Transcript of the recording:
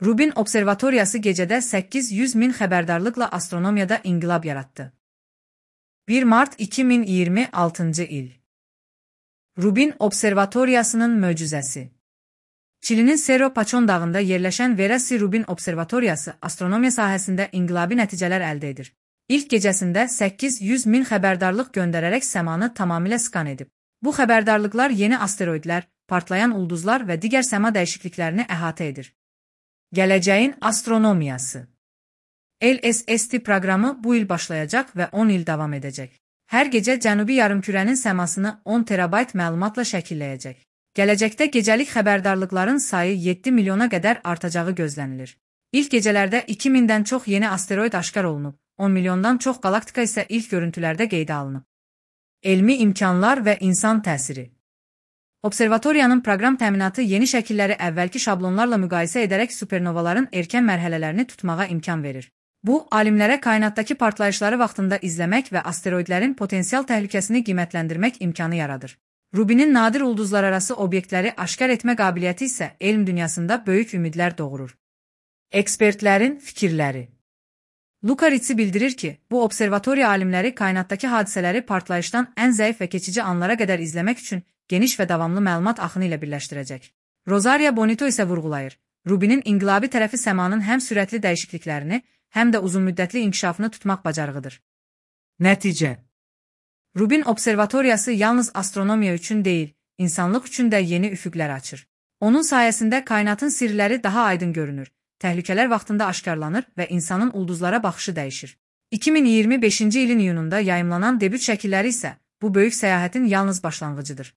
Rubin Observatoriyası gecədə 800 min xəbərdarlıqla astronomiyada inqilab yaratdı. 1 Mart 2026 il. Rubin Observatoriyasının möcüzəsi. Çilinin Cerro Pachón dağında yerləşən Vera C. Rubin Observatoriyası astronomiya sahəsində inqilabi nəticələr əldə edir. İlk gecəsində 800 min xəbərdarlıq göndərərək səmanı tamamilə skan edib. Bu xəbərdarlıqlar yeni asteroidlər, partlayan ulduzlar və digər səma dəyişikliklərini əhatə edir. Gələcəyin astronomiyası. LSST proqramı bu il başlayacaq və 10 il davam edəcək. Hər gecə Cənubi yarımkürənin səmasını 10 terabayt məlumatla şəkilləyəcək. Gələcəkdə gecəlik xəbərdarlıqların sayı 7 milyona qədər artacağı gözlənilir. İlk gecələrdə 2000-dən çox yeni asteroid aşkar olunub, 10 milyondan çox qalaktika isə ilk görüntülərdə qeydə alınıb. Elmi imkanlar və insan təsiri. Observatoriyanın proqram təminatı yeni şəkilləri əvvəlki şablonlarla müqayisə edərək supernovaların erkən mərhələlərini tutmağa imkan verir. Bu, alimlərə kainatdakı partlayışları vaxtında izləmək və asteroidlərin potensial təhlükəsini qiymətləndirmək imkanı yaradır. Rubinin nadir ulduzlararası obyektləri aşkar etmə qabiliyyəti isə elm dünyasında böyük ümidlər doğurur. Ekspertlərin fikirləri. Luca Ricci bildirir ki, bu observatoriya alimləri kainatdakı hadisələri partlayışdan ən zəif və keçici anlara qədər izləmək üçün geniş və davamlı məlumat axını ilə birləşdirəcək. Rosaria Bonito isə vurğulayır. Rubinin inqilabi tərəfi səmanın həm sürətli dəyişikliklərini, həm də uzunmüddətli inkişafını tutmaq bacarığıdır. Nəticə. Rubin Observatoriyası yalnız astronomiya üçün deyil, insanlıq üçün də yeni üfüqlər açır. Onun sayəsində kainatın sirləri daha aydın görünür, təhlükələr vaxtında aşkarlanır və insanın ulduzlara baxışı dəyişir. 2025-ci ilin iyununda yayımlanan debüt şəkilləri isə bu böyük səyahətin yalnız başlanğıcıdır.